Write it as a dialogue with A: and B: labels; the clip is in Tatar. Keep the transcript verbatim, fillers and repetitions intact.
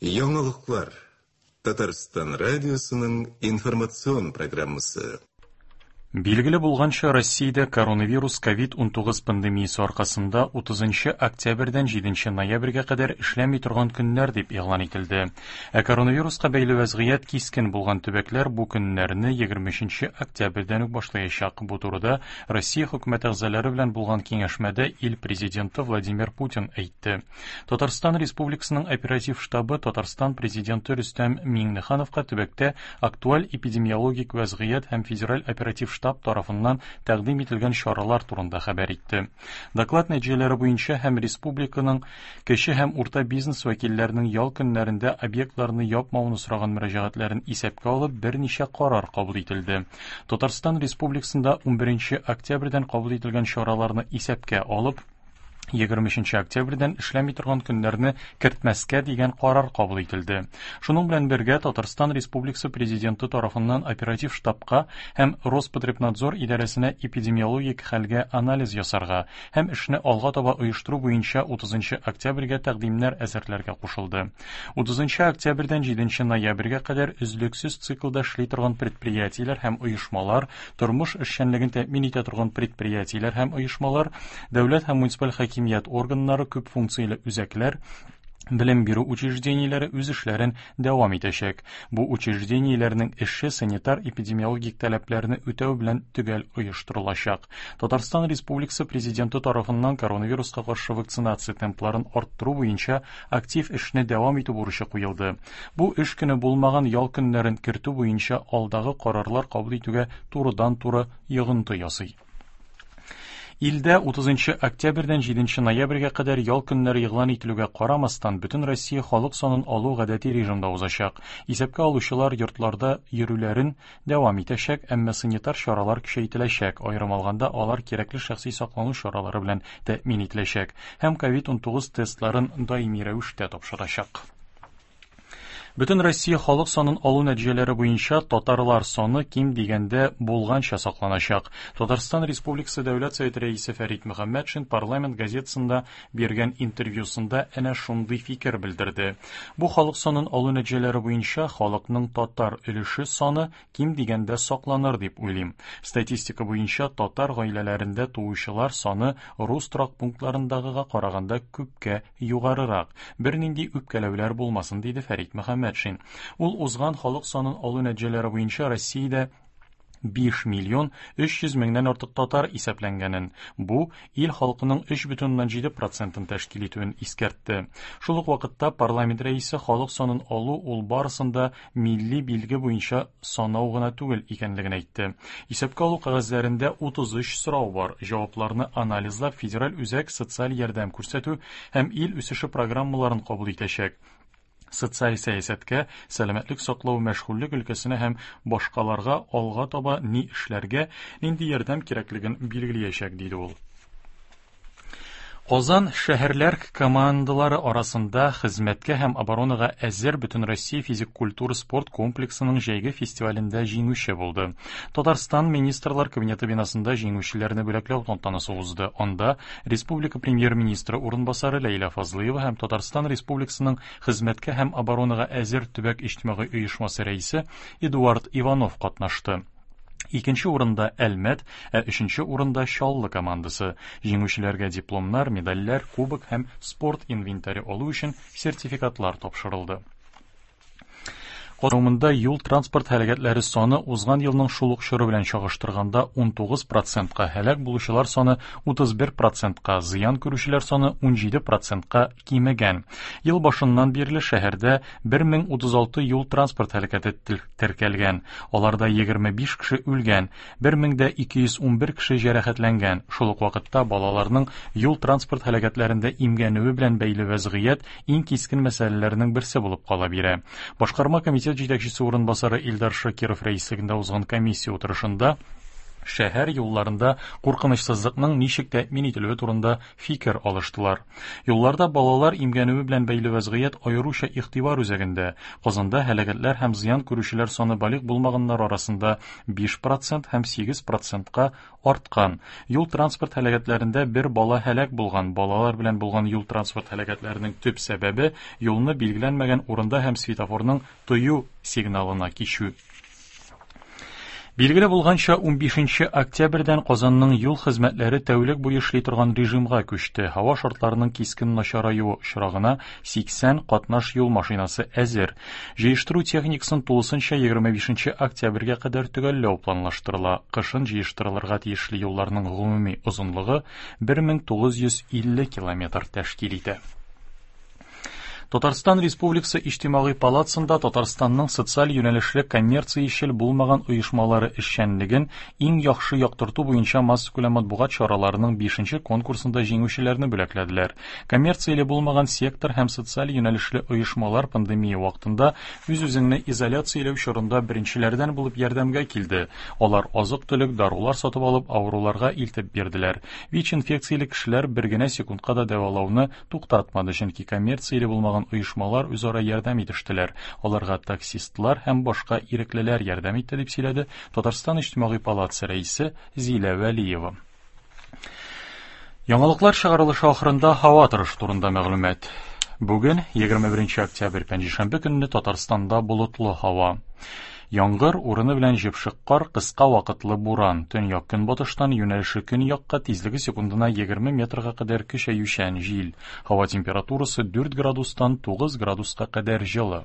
A: Яңалыклар. Татарстан радиосының информацион программасы.
B: Билгеле булганча, Россиядә коронавирус ковид унтугыз пандемиясе аркасында утызынчы октябрьдән җиденче ноябрьгә кадәр эшләми торган көннәр дип игълан ителде. Ә коронавируска бәйле вәзгыять кискен булган төбәкләр бу көннәрне егерме өченче октябрьдән үк башлаячак. Бу турыда Россия хөкүмәте әгъзалары белән булган киңәшмәдә ил президенты Владимир Путин әйтте. Татарстан Республикасының оператив штабы Татарстан президенты Рөстәм Миңнехановка төбәктә актуаль эпидемиологик вәзгыять һәм федераль оператив штаб тарафыннан тәкъдим ителгән чаралар турында хәбәр итте. Доклад нәтиҗәләре буенча һәм республиканың кече һәм урта бизнес вәкилләренең ял көннәрендә объектларны япмауны сораган мөрәҗәгатьләрен исәпкә алып берничә карар кабул ителде. Татарстан Республикасында унберенче октябрьдән кабул ителгән чараларны исәпкә алып, егерме өченче октябрьдән эшләми торган көннәрне кертмәскә дигән карар кабул ителде. Шуның белән бергә Татарстан Республикасы Президенты тарафыннан оператив штабка һәм Роспотребнадзор идарәсенә эпидемиологик хәлгә анализ ясарга һәм эшне алга таба оештыру буенча утызынчы октябрьгә тәкъдимнәр әзерләргә кушылды. Утызынчы октябрьдән җиденче ноябрьгә кадәр өзлексез циклда эшли торган предприятиеләр һәм оешмалар, тормыш эшчәнлеген тәэмин итә торган предприятиеләр һәм оешмалар, дәүләт һәм муниципаль хакимият органнары, күп функцияле үзәкләр, белем бирү учреждениеләре үз эшләрен дәвам итәчәк. Бу учреждениеләрнең эше санитар-эпидемиологик таләпләрне үтәү белән төгәл оештырылачак. Татарстан Республикасы Президенты тарафыннан коронавируска каршы вакцинация темпларын арттыру буенча актив эшне дәвам итү бурычы куелды. Бу эш көне булмаган ял көннәрен кертү буенча алдагы карарлар кабул итүгә турыдан-туры йогынты ясый. Илдә утызынчы октябрьдән җиденче ноябрьгә кадәр ял көннәре игълан ителүгә карамастан, бөтен Россия халык санын алу гадәти режимда узачак. Исәпкә алучылар йортларда йөрүләрен дәвам итәчәк, әмма санитар чаралар көчәйтеләчәк. Аерым алганда, алар кирәкле шәхси саклану чаралары белән тәэмин ителәчәк һәм ковид унтугыз тестларын даими рәвештә тапшырачак. Бөтен Россия халык санын алу нәтиҗәләре буенча татарлар саны ким дигәндә булганча сакланачак. Татарстан Республикасы Дәүләт Советы рәисе Фәрит Мөхәммәтшин Парламент газетасында биргән интервьюсында әнә шундый фикер белдерде. Бу халык санын алу нәтиҗәләре буенча халыкның татар өлеше саны ким дигәндә сакланыр дип уйлыйм. Статистика буенча татар гаиләләрендә туучылар саны рус торак пунктларындагыга караганда күпкә югарырак. Бернинди үпкәләүләр булмасын, диде Фәрит Мөхәммәтшин. Ул узган халык санын алу нәтиҗәләре буенча Россиядә биш миллион өч йөз меңнән артык татар исәпләнгәнен, бу ил халкының өч бөтен уннан җиде процентын тәшкил итүен искәртте. Шул ук вакытта парламент рәисе халык санын алу ул барысын да милли билге буенча санау гына түгел икәнлеген әйтте. Исәпкә алу кәгазьләрендә утыз өч сорау бар. Җавапларны анализлап федераль үзәк социаль ярдәм күрсәтү һәм ил үсеше программаларын кабул итәчәк. Социаль сәясәткә, сәламәтлек саклау, мәшгульлек өлкәсенә һәм башкаларга алга таба ни эшләргә, нинди ярдәм кирәклеген билгеләячәк, диде ул. Казан шәһәрләр командалары арасында хезмәткә һәм оборонага әзер Бөтен Россия физик культура спорт комплексының җәйге фестивалендә җиңүче булды. Татарстан Министрлар Кабинеты бинасында җиңүчеләрне бүләкләү тантанасы узды. Анда Республика Премьер-министры урынбасары Ләйлә Фазлыева һәм Татарстан Республикасының хезмәткә һәм оборонага әзер төбәк иҗтимагый оешмасы рәисе Эдуард Иванов катнашты. Икенче урында Әлмәт, ә өченче урында Чаллы командасы. Җиңүчеләргә дипломнар, медальләр, кубок һәм спорт инвентаре алу өчен сертификатлар тапшырылды. Казанда юл транспорт һәлакәтләре саны узган елның шул ук чоры белән чагыштырганда унтугыз процентка, һәлак булучылар саны утыз бер процентка, зыян күрүчеләр саны унҗиде процентка кимегән. Ел башыннан бирле шәһәрдә бер мең утыз алты юл транспорт һәлакәте теркәлгән. Аларда егерме биш кеше үлгән, бер мең дә ике йөз ун бер кеше җәрәхәтләнгән. Шул ук вакытта балаларның юл транспорт һәлакәтләрендә имгәнүе белән бәйле вәзгыять иң кискен мәсьәләләрнең берсе булып кала бирә. Башкарма комитет җитәкчесе урынбасары Илдар Шакиров рәислегендә узган комиссия утырышында Шәһәр юлларында куркынычсызлыкның ничек тәэмин ителүе турында фикер алыштылар. Юлларда балалар имгәнүе белән бәйле вәзгыять аеруча игътибар үзәгендә. Казанда һәлакәтләр һәм зыян күрүчеләр саны балигъ булмаганнар арасында биш процент һәм сигез процентка арткан. Юл-транспорт һәлакәтләрендә бер бала һәлак булган. Балалар белән булган юл-транспорт һәлакәтләренең төп сәбәбе юлны билгеләнмәгән урында һәм светофорның тыю сигналына кичү. Билгеле булганча, унбишенче октябрьдән Казанның юл хезмәтләре тәүлек буе эшли торган режимга күчте. Һава шартларының кискен начараюы очрагына сиксән катнаш юл машинасы әзер. Җыештыру техникасын тулысынча егерме бишенче октябрьгә кадәр төгәлләү планлаштырыла. Кышын җыештырылырга тиешле юлларның гомуми озынлыгы бер мең тугыз йөз илле километр тәшкил итә. Татарстан Республикасы Иҗтимагый палатасында Татарстанның социаль юнәлешле коммерциячел булмаган оешмалары эшчәнлеген иң яхшы яктырту буенча массакүләм матбугат чараларының бишенче конкурсында җиңүчеләрне бүләкләделәр. Коммерцияле булмаган сектор һәм социаль юнәлешле оешмалар пандемия вакытында үз-үзеңне изоляцияләү чорында беренчеләрдән булып ярдәмгә килде. Алар азык-төлек, дарулар сатып алып, авыруларга илтеп бирделәр. ВИЧ-инфекцияле кешеләр бер генә секундка да дәвалауны туктатмады, чөнки коммерцияле булмаган оешмалар үзара ярдәм итештеләр. Аларга таксистлар һәм башка иреклеләр ярдәм итте, дип сөйләде Татарстан Иҗтимагый палатасы рәисе Зилә Вәлиева. Яңалыклар чыгарылышы ахырында һава торышы турында мәгълүмат. Бүген егерме беренче октябрь пәнҗешәмбе көнне Татарстанда болытлы һава. Яңгыр урыны белән җепшек кар, кыска вакытлы буран. Төньяк көнбатыштан юнәлеше көньякка, тизлеге секундына егерме метрга кадәр көчәючән җил. Һава температурасы дүрт градустан тугыз градуска кадәр җылы.